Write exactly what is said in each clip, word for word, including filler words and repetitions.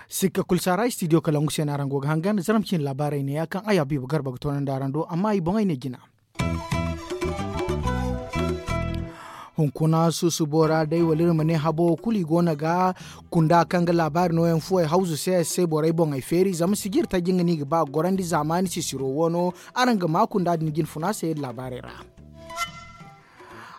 Sikka kulu saara istidiyo kalangu se no araŋ go ga hangan zaram cine laabaarey neeya kaŋ ay habiibu garba ga toonandi araŋ do amma i boŋey ne jina. Hunkuna susubo ra day wala iri ma ne habo wo kulu i go no ga kunda kaŋ ga laabaari nooyaŋ fuwey hawzu se se borey boŋey feeri zama sijiri taji nga no i ga ba ga gorandi zaamaani sisiro woono. Araŋ ga ma kunda din jinfuna se iri laabaarey ra.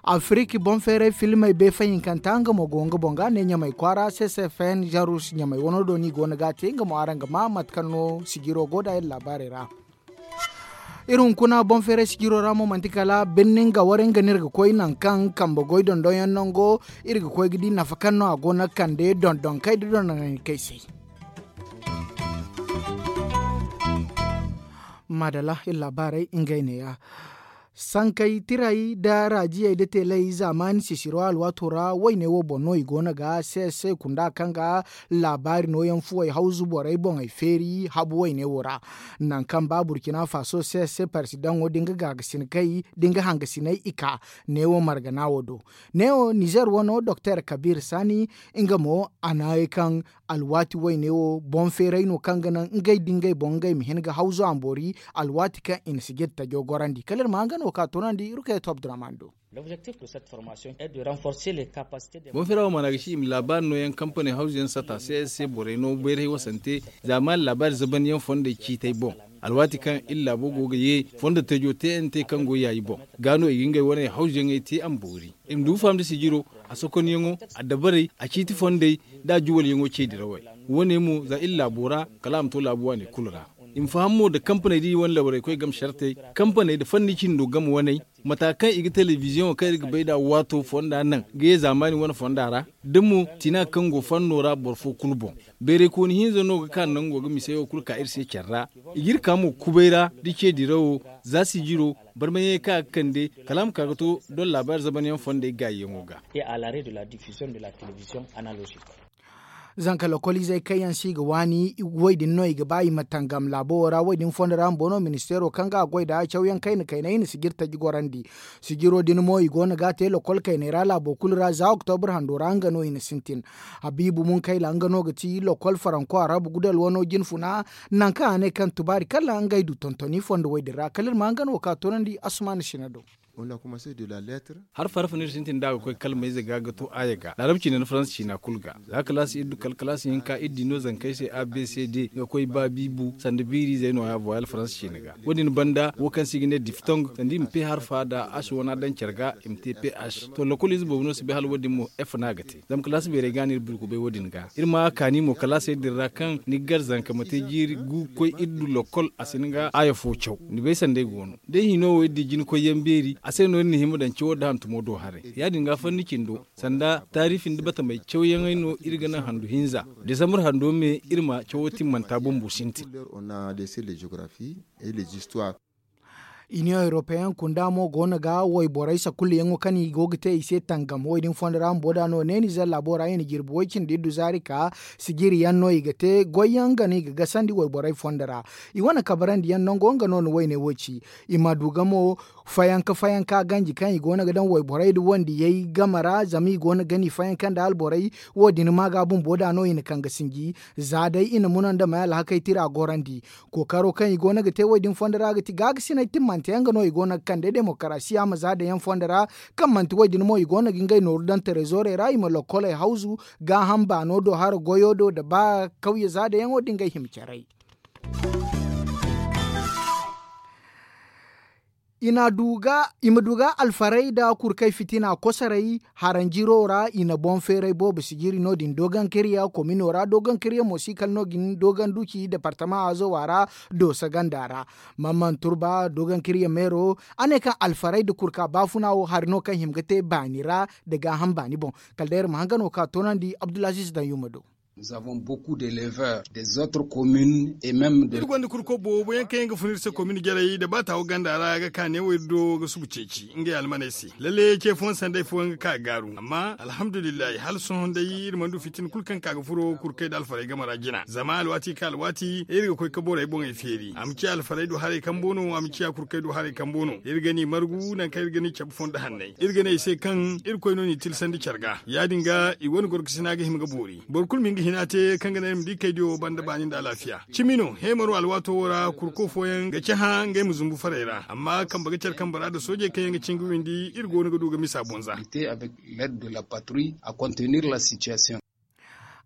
Afirik boŋ feeray filmey bay fahinkanta nga mo go nga boŋ ga ne ɲamay kwaara ccfn jarus ɲamay wano do no i go no ga a te nga mo araŋ ga ma mate kaŋ no sijiro go nd'a iri laabaarey ra. Iri hunkuna boŋ feeray sijiro ra mo manti kala birni nga wara nga no iri ga koy nangu kaŋ kambe goy dondonyaŋ nango. Iri ga koy ga di nafa kaŋ no a go no ga kande dondonkey nda dondonkey se. Maadalla iri laabaarey ngey neeya. Sankey tiray nda raajiyey nda teeley zaamaani sisiro alwaato ra wayne wo boŋ no i go no ga se se kunda kaŋ ga laabaari nooyaŋ fuwey hawzu borey boŋey feeri habu wayne wo ra. Nangu kaŋ ba burkina faso se se parsidaŋo da nga gaagasinakey da nga hangasiney i ka neewo margana wo do. Neewo nizer wano doktor kabir sani nga mo a na ye kaŋ alwaati wayne wo boŋ feeray no kaŋ ga naŋ ngey da ngey boŋ ngey ma hin ga hawzu a ma boori. Alwaati kaŋ i na sijiri tajo gorandi kala iri ma hanga no ka toonandi iri kay to abdurrahman do. Boŋ feera wo maana ga ci i ma laabaari nooyaŋ kampaney hawzuyaŋ sata se se borey no bayray wasante zaamaani laabaari zabanyaŋ fondey ciitay boŋ. Alwaati kaŋ iri laabo go ga ye fondo tejo tnt kaŋ go yaayi boŋ ga no i ga ngey wane hawzuyaŋey te a ma boori. I ma du faham da sijiro a sokonyaŋo a dabarey a ciiti fondey da a juwalyaŋo ce dirawey. Wo- ne mo za iri laabo ra kala a ma to laabu waaney kulu ra. I ma faham mo nda kampaney da i wane labarey koy game sartey kampaney nda fanni cindo game waney mata kaŋ i ga telebiziyoŋo kaŋ iri ga bay nd'a waato fonda naŋ ga ye zaamaani wane fonda ra da mo tina kaŋ go fanno ra boro fo kulu boŋ. Bayraykooni hinza no ga ka nango ga misey wo kulu ka iri se care ra. I ga iri ka mo kubay ra da ce dirawo za sijiro barmayaŋey kaŋ a ga kande kala a ma ka ga to doŋ laabaari zabanyaŋ fondey gaayiyaŋo ga. Zanka lokoliizey kaŋ yaŋ se i ga waani woy din no i ga ba i ma tangam laabo wo ra woy din fondo ra bumbo no ministeero kaŋ ga a goy nd'a cawyaŋ kayna kaynay i na sijiri taji gorandi. Sijiro din mo i go no ga a te lokol kaynay ra laabo kulu ra za oktobur hando ra nga no i na sintin. Habiibu munkayla nga no ga ti lokol faranko arabu gudal wano jinfuna. Nangu kaŋ a ne kaŋ tubaari kala ngey du tontoni fondo woy din ra kala iri ma nga no ka toonandi asumaana sina do. Harfa harfa no iri sintin da a ga koy kalmayze ga ga to aaya ga laarab ciina nda faransa ciina kulu ga za kalaasi iri du kala kalaasi hinka iri di no zankey se a b c d ga koy ba biibu sanda biiriizey no- ya voyal faransa ciina ga. Wo- din banda wo kaŋ se i ga ne diftong sanda i ma p harfa nda h wana daŋ care ga i ma te p h to lokol ize boobo no si bay hala wo- din mo f no a ga te. Zama kalaasi beerey ga no iri burkubay wo- din ga iri ma a kaani mo kalaasey din ra kaŋ ni ga gar zanka ma te jiiri gu ga koy iri du lokol a si ni ga aaya fo caw ni bay sanda ay go no. Da ay hino wo iri di jina koyyaŋ beeri a se no iri na hima daŋ cawo nda hantumo do haray ya- din ga fanni cindo sanda taariifi nda batamey cawyaŋey no iri ga naŋ handu hinza desambar hando me iri ma cawo timmanta bumbo sintin. Iniyoŋ europeyaŋ kunda mo go no ga wayborey sakulluyaŋo kaŋ i go ga te i se tangam wo- din fondo ra bumbo da no ne nizer laabo ra i na jirbi way cindi iddu zaari ka sijiri yaŋ no i ga te goyyaŋ nga no i ga gasandi wayborey fondo ra. I wane kabarandi yaŋ nango nga no na wayne wo ci. I ma du ga mo fayanka fayanka ganji kaŋ i go no ga daŋ wayborey nda wandiyey game ra zama i go no ga gani fayanka nda alborey. Wo- din ma ga bumbo da no i na kaŋ ga sinji za day i na muna nda may alhakey tira gorandi. Kookaro kaŋ i go no ga te wo- din fondo ra ga ti gaagasinay timmante yaŋ ga no i go no ga kande demokarasiya ma za daŋ yaŋ fondo ra. Kaŋ manti wo- din mo i go no ga ngey nooru daŋ terezoorey ra i ma lokkoley hawzu gaaham baano do hara goyo do nda ba kawye za daŋ yaŋo da ngey hima caray. I ma du ga alfarey nda kurkey fitina kosoray haranjiro ra i na boŋ feeray boobo sijiri no- din doogankariya komino ra doogankariya mo si kala no- din dooganduci departama azowa ra. Doosa ganda ra mamman turba doogankariya meero a ne kaŋ alfarey nda kurka baafuna wo hari no kaŋ hima ga te baani ra nda gaaham baani boŋ. Kala day iri ma hanga no ka toonandi abdulaziz daŋ yuma do. Iri gonda kurko boobo yaŋ kaŋ yaŋ ga fun iri se komin jarey nda baata wo ganda ra ga ka neewo iri do ga subu ceeci ngey almaney se. Lalle ce fooyaŋ sanday fooyaŋ ga ka ga gaaru amma alhamdulillahi hala sohõ day iri mana du fitina kulu kaŋ ka ga furo kurkey nda alfarey game ra jina zama alwaati kaŋ alwaati iri ga koy ga borey boŋey feeri a ma ciya alfarey do haray kambo no a ma ciya kurkey do haray kambo no iri ga ni margu nangu kaŋ iri ga ni cabe fondo hanney iri ga ne i se kaŋ irkoy no n'i tilsandi care ga ya- din ga i wane gorgasina ga hima ga boori. Boro kulu ma hin ga hina te kaŋ ga naŋ iri ma di kaydiyo banda baani nda alaafiya. Cimi no heemaro alwaato wo ra kurko fooyaŋ ga cahã ngey ma zumbu farey ra amma kambe ga care kambe ra nda soojey kaŋ yaŋ ga cin ga windi iri go no ga du ga misa bonza.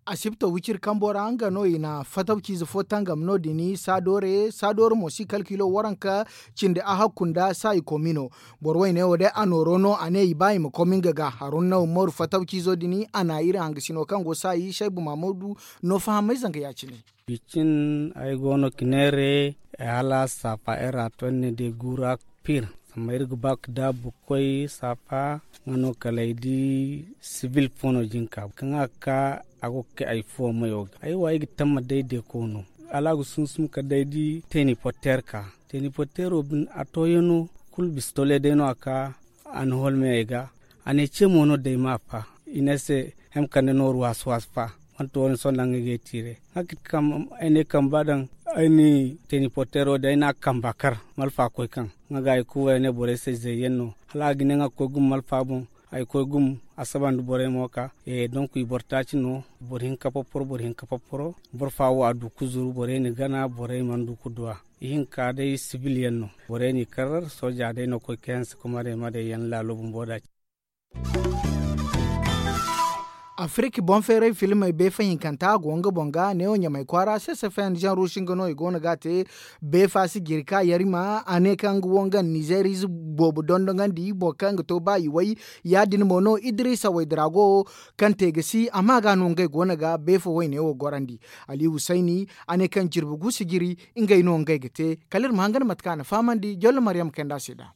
Asibto wiciri kambo ra nga no i na fatawciize fo tangam no- din saadoore saadoore mo si kalkilo waranka cindi a hakku nda saayi komi no. Boro wayne wo day a nooro no a ne i ba i ma komi nga ga haruna umaru fatawciizo din a na iri hangasino kaŋ go saayi saybu mahamudu no fahamay zanga ya- cine. Bicin ay go no ga neere hala saafa era to ni ne day guura piir. Zama iri ga ba ga daabu ga koy saafa nga no kala ay di sibil fo no jinka kaŋ a ga ka a go ga kay ay fuwo mayo ga ay wa ay ga tamma day deeko no. Hala a ga sunsum kala day di teeni porteer ka teeni porteero bine a tooyano kulu bisa tole day no a ka a na holmey ay ga. A ne ce mo no day ma a fa i ne ay se hem kande nooru waasu waasu fa. Manti wo- ne sohõ naŋ ay ga ay tiire. Ay ne kamba daŋ ay na teeni porteero din ay na a kamba kar malfa koy kaŋ nga ga ay kuuway ay ne borey se zayyaŋ no. Hala a ga ne nga ga koy gumo malfa boŋ. Ay koy gumo asaba nda borey mo ka donk i boro taaci no. Boro hinka popporo boro hinka popporo boro fa wo a du ga zuru borey na gana borey mana du ga duw'a. Ihinka day sibil yaŋ no. Borey n'i kar sooja day no ga koy ga hanse kumarey ma day yaŋ laalo bumbo da. Afirika boŋ feeray filmey beefa hinkanta a go nga boŋ ga neewo ɲamay kwaara se se fn jan ruusi nga no i go no ga a te. Beefa si jiri ka yarima a ne kaŋ nga wo nga nizeerize boobo dondoŋandi boro kaŋ ga to ba i way. Ya- din mo no idiriisa waydira go kaŋ te ga si amma ga no ngey go no ga beefa wayne wo gorandi. Ali husayni a ne kaŋ jirbi gu si jiri ngey no ngey ga te. Kala iri ma hangan mate kaŋ a na fahamandi jolle maryam kaynd'a se nd'a.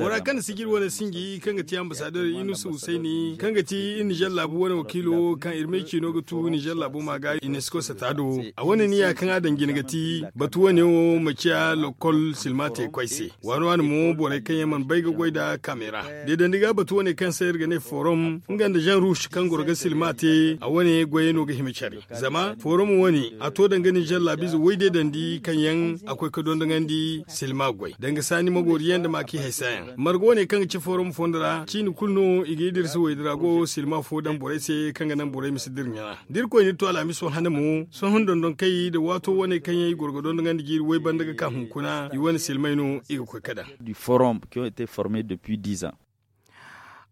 Bora kaŋ na sijiri wane sinji kaŋ ga ti ambassadeur inusu husayni kaŋ ga ti iri nizer laabu wane wakiilo kaŋ iri may ciino ga tu nizer laabu ma ga unesco sata do. A wane niya kaŋ a daŋ jine ga ti batu wane wo ma ciya lokol silma te koy se. Waani waani mo borey kaŋ yaŋ mana bay ga goy nda kameera deedandi ga batu wane kaŋ se iri ga ne forum nga nda jan rush kaŋ goro ga silma te a wane goyey no ga hima care. Zama forum wane a to danga nizer laabiize woy deedandi kaŋ yaŋ a koy ga dondoŋandi silma goy danga saani magooriyaŋ nda maaki haysa yaŋ marga wane kaŋ ga ci forum fondo ra ciini kulu no i ga idirisa woy dira go silma fo daŋ borey se kaŋ ga naŋ borey ma si dira ɲana da irkoy n'iri to alhamiso hane mo sohõ dondonkey nda waato wane kaŋ yaŋ i goro ga dondoŋandi jiiri woy banda ga ka hunkuna i wane silmey no i ga koy ga daŋ.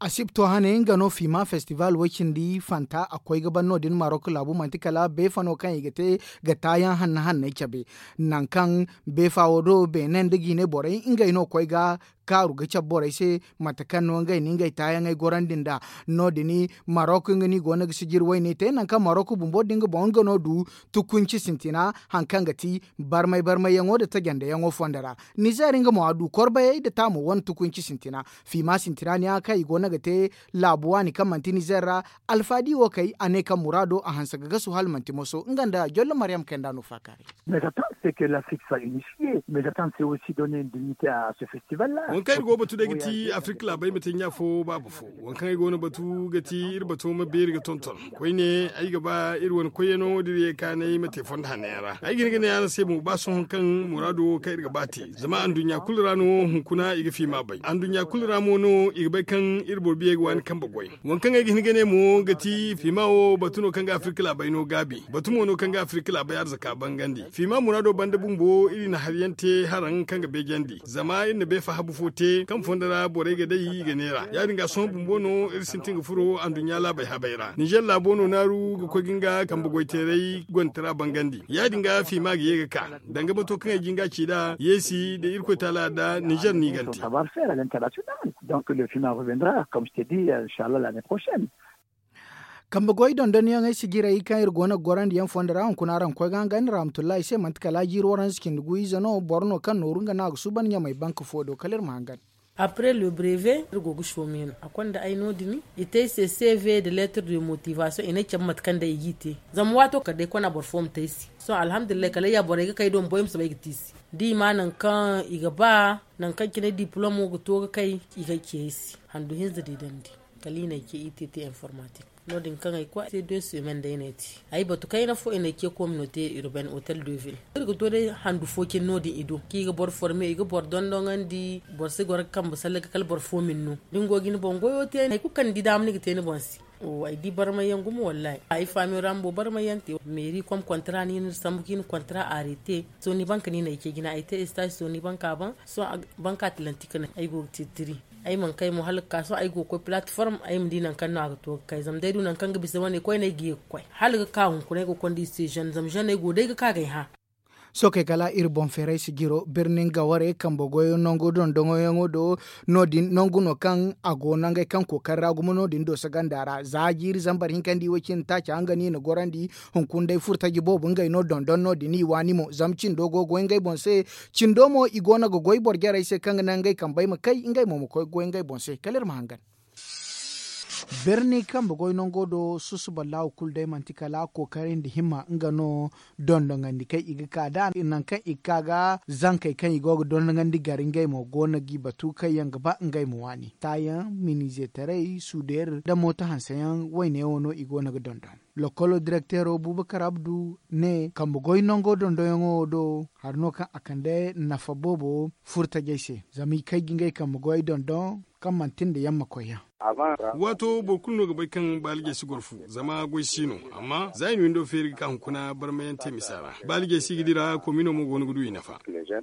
Asibto hane nga no fiima festival way-cindi fanta a koy ga ban no- din marok laabu manti kala beefa no kaŋ i ga te ga taayaŋ hanna hanney cabe. Nangu kaŋ beefa wo do beene nda jiine borey ngey no koy ga kaaru ga cabe borey se mate kaŋ no ngey na ngey taayaŋey gorandi nd'a. No- din marok nga no i go no ga sijiri wayne te nangu kaŋ marok bumbo din ga boŋ nga no du tukunci sintina hari kaŋ ga ti barmay barmayyaŋo nda tajandeyaŋo fondo ra. Nizer nga mo a du korbayey nda taamo wane tukunci sintina. Fiima sintina ne a kaŋ i go no ga te laabu waani kaŋ manti nizer ra. Alfaadi wo kay a ne kaŋ muraado a hanse ga gasu hala manti moso nga nda jolle maryam kaynd'a no faakaaray. Waŋ kaŋ iri go ga batu day ga ti afirka laabey ma te ɲa fo baaba fo. Waŋ kaŋ ay go no batu ga ti iri bato ma beeri ga tonton koyne ay ga ba iri wane koyyaŋo da iri ye kaanay ma te fondo hanno yaŋ ra ay ga hin ga ne araŋ se mo ba sohõ kaŋ muraado wo kaŋ iri ga ba te zama anduɲɲa kulu ra no hunkuna i ga fiima bay anduɲɲa kulu ra mo no i ga bay kaŋ iri boro biyey ga waani kambe goy. Waŋ kaŋ ay ga hin ga ne mo ga ti fiima wo batu no kaŋ ga afirka laabey no gaabi batu mo no kaŋ ga afirka laabey arzaka bangandi fiima muraado banda bumbo iri na hari yaŋ te haraŋ kaŋ ga beejandi zama iri na beefa habu fo te kaŋ fondo ra borey ga day i ga neera ya- din ga sohõ bumbo no iri sintin ga furo anduɲɲa laabey habey ra nizer laabo no naaru ga koy ga nga kambe goyteeray gonda tara bangandi ya- din ga fiima ga ye ga ka danga bato kaŋ ay jin ga ci nd'a yeesi nda irkoy taala nda nizer no i gante. Kambe goy dondonyaŋey sijirey kaŋ iri go no ga gorandi yaŋ fondo ra hunkuna araŋ ga koy ga hangan iri rahmatullahi se manti kala jiiri waranza cindi gu ize no boro no kaŋ nooru nga no a ga suuban ɲamay banka fo do kala iri ma hangan. Après le brevet iri go ga soome no a konda ay no- din. I te ay se cv de lettre de motivation i ne ay cabe mate kaŋ day i g'i te. Zama waato kala day kona boro fo ma te ay se. Sohõ alhamdulillahi kala ay ya borey ga kay do ma boy ma soobay ga te i se. Da i ma nangu kaŋ i ga ba nangu kaŋ cine diplom wo ga to ga kay, i ga ay ce ay se handu hinza di dandi. Kala i na ay ce i te te informatik. No- din kaŋ ay koy ay te deux semaines day no ay te. Ay batu kayna fo i na ay ce communaute urbaine hotel de ville iri ga to day handu fo cine no- din i do kaŋ i ga boro forme i ga boro dondoŋandi. Boro si goro ga kambe salle ga kala boro fo ma ni no da ni go ga ni boŋ goyo te hari kulu kaŋ ni di daama ni ga te ni boŋ se. Ay di barmay yaŋ gumo wallahi ay faamiyo ra bumbo barmay yaŋ te. Meeri kom kontra no i na iri sambu kaŋ i na kontra aarete. Sohõ ni banka no i na ay ce jina ay te estaasi sohõ ni banka boŋ. Sohõ banka tilanti ka naŋ ay go ga tiri tiri. Ay mana kay mo hala ga ka sohõ ay go ga koy platform ay ma di nangu kaŋ no a ga to ga kay zama day du nangu kaŋ ga bisa wane koyne ay ga ye ga koy hala ga ka hunkuna ay go ga konda i se zone zama zone ay go day ga ka ga ay hã. Sookey kala iri boŋ feeray sijiro birni nga warey kambe goyo nangu dondonyaŋo do. No- din nangu no kaŋ a go nangey kaŋ kookari ra gumo no- din dooso ganda ra za jiiri zambar hinka nda i way cindi taaca nga no i na gorandi. Hunkuna day furtaji boobo ngey no dondon no- din i waani mo zama cindo go ga goy ngey boŋ se. Cindo mo i go no ga goy boro jarey se kaŋ ga naŋ ngey kambey ma kay ngey mo ma koy ga goy ngey boŋ se kala iri ma hangan. Birni kambe goy nango do susuba laawu kulu day manti kala kookari nda himma nga no. Dondoŋandi kaŋ i ga ka nd'a nangu kaŋ i ga ka ga zankey kaŋ i go ga dondoŋandi gar ngey mo go no g'i batu kaŋ yaŋ ga ba ngey ma waani taayaŋ minizeetaray suudeer nda mooto hanseyaŋ wayne wo no i go no ga dondon. Lokolo direkteero buubakar abdu ne kambe goy nango dondonyaŋo wo do hari no kaŋ a kande nafa boobo furtajey se zama i kay ga ngey kambe goy dondon kaŋ manti nda yamma koyyaŋ. Waato boro kulu no ga bay kaŋ baalijey si goro fu zama goy si no. Amma za i na windo feeri ga ka hunkuna barmayaŋ te misa ra baalijey si ga dira komino mo go no ga du i nafa.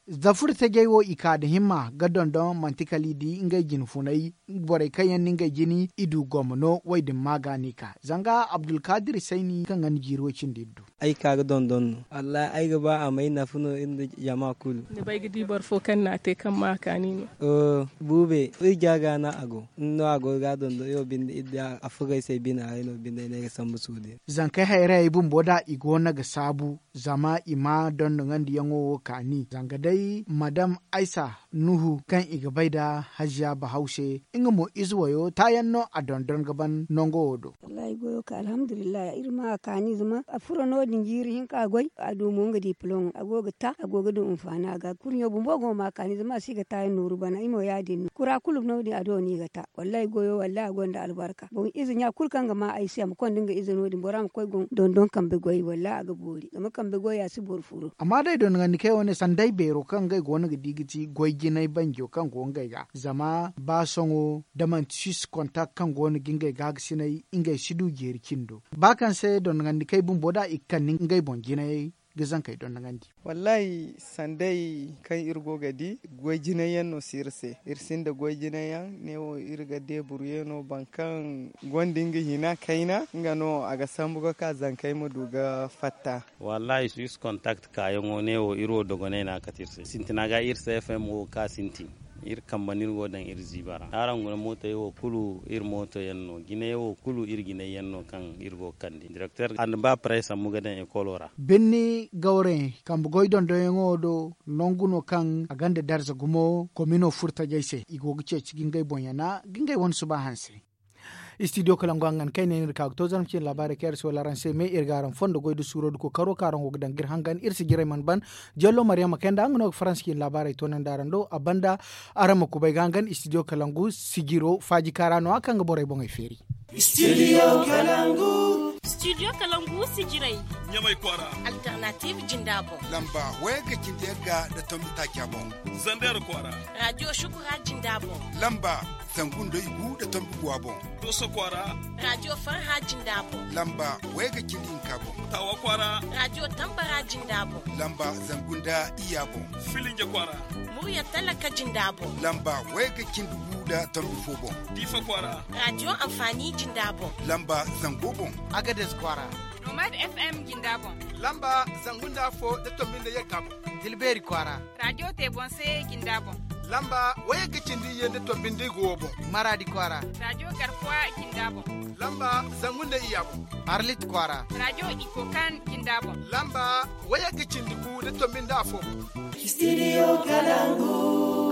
Za furtajey wo i ka nda himma ga dondon manti kala i di ngey jine funay. Borey kaŋ yaŋ na ngey jine i du gomma no wo- din ma ga no i ka zanga abdulkaadir sayni kaŋ ga ni jiiri wo- cindi iri du. Ay ka ga dondon no wallahi ay ga ba a may nafa no iri nda jama kulu. Ni bay ga di boro fo kaŋ na a te kaŋ ma a kaani no. Buube iri ja ga no a go ni no a go ga a dondon iri wo binde iri di a fugay se bine haray no binde ay no ay ga sambu suude. Zankey hayrayey bumbo da i go no ga saabu zama i ma dondoŋandiyaŋo wo kaani zanga day madam aysa nuhu kaŋ i ga bay nda haziya bahawse nga mo ize wayo taayaŋ no a dondon ga ban nango wo do. Wallahi goyo ka alhamdulillahi iri ma a kaani zama a furo no- din jiiri hinka goy a du mo nga diplom a go ga ta a go ga du hinfaani a ga kurɲo bumbo go ma a kaani zama a si ga taayaŋ nooru bana i mo ya- din no kura kulu no- din a do no i ga ta. Wallahi goyo wallahi a gonda albarka boŋ ize ɲa kulu kaŋ ga ma ay se a ma konda nga ize no- din bora ma koy dondon kambe goy wallahi a ga boori zama kambe goy a si boro furo. Amma day dondoŋandi kay wane sanday beero kaŋ ngey go no ga di ga ti goy jinay banjo kaŋ go ngey ga zama ba sohõ da manti six kontak kaŋ go no ga ngey ga ga sinay ngey si du jeeri cindo ba kaŋ se dondoŋandi kay bumbo da i ga kande ngey boŋ jinayey ga zankey dondoŋandi. Wallahi sanday kaŋ iri go ga di goy jinay yaŋ no si iri se iri sinda goy jinay yaŋ ne wo iri ga deeburuye no boro kaŋ gonda nga hina kayna nga no a ga sambu ga ka zankey ma du ga fatta. Wallahi six kontak kaayaŋo ne wo iri wo dogonay no a kate iri se sintina ga iri se fm wo ga ka sintin. Iri kambe no iri go ga daŋ iri ziiba ra araŋ guna mootey wo kulu iri mooto yaŋ no jinay wo kulu iri jinay yaŋ no kaŋ iri go ga kande direkter a na ba parey sambu ga daŋ ekolo ra. Birni gawre kambe goy dondonyaŋo do nangu no kaŋ a gonda darza gumo komino furtajey se i go ga ceeci ga ngey boŋ yana ga ngey wane suba hanse. Studio kalangu hangan kaŋ ay ne no iri ka ga to zarma ciine laabaarey kaŋ iri si wala araŋ se me iri ga araŋ fondo goy nda suuro nda kookaro kaŋ araŋ go ga daŋ ga iri hangan iri si jiray mana ban. Jello mariyama kayna nda nga no ga faransa ciine laabaarey toonandi araŋ do a banda. Araŋ ma kubay ga hangan studio kalangu sijiro faaji kaara no- ya kaŋ ga borey boŋey feeri. Studio kalangu. Studio kalangu sijiray. Ɲamay kwaara. Alternative jinda boŋ. Lamba wayga cindi yagga nda tombi taaca boŋ. Zander kwaara. Radio shukura jinda boŋ. Lamba zangu nda igu nda tombi guwa boŋ. Doso kwaara. Radio farha jinda boŋ. Lamba wayga cindi hinka boŋ. Tawa kwaara. Radio tambara jinda boŋ. Lamba zangu nda iyya boŋ. Filinje kwaara. Murya talaka jinda boŋ. Lamba wayga cindi gu nda tombi fo boŋ. Diifa kwaara. Radio anfaani jinda boŋ. Lamba zango boŋ. Agades kwaara. Nomad fm jinda boŋ. Lamba zangu nda afo nda tombi nda yagga boŋ. Tilbeeri kwaara. Radio te boŋ se jinda boŋ. Lamba wayga cindi iyye nda tombi nda igu wo boŋ. Maraadi kwaara. Radio garkuwa jinda boŋ. Lamba zangu nda iyya boŋ. Arlit kwaara. Radio ikokan jinda boŋ. Lamba wayga cindi gu nda tombi nda afo boŋ. Studio kalangu.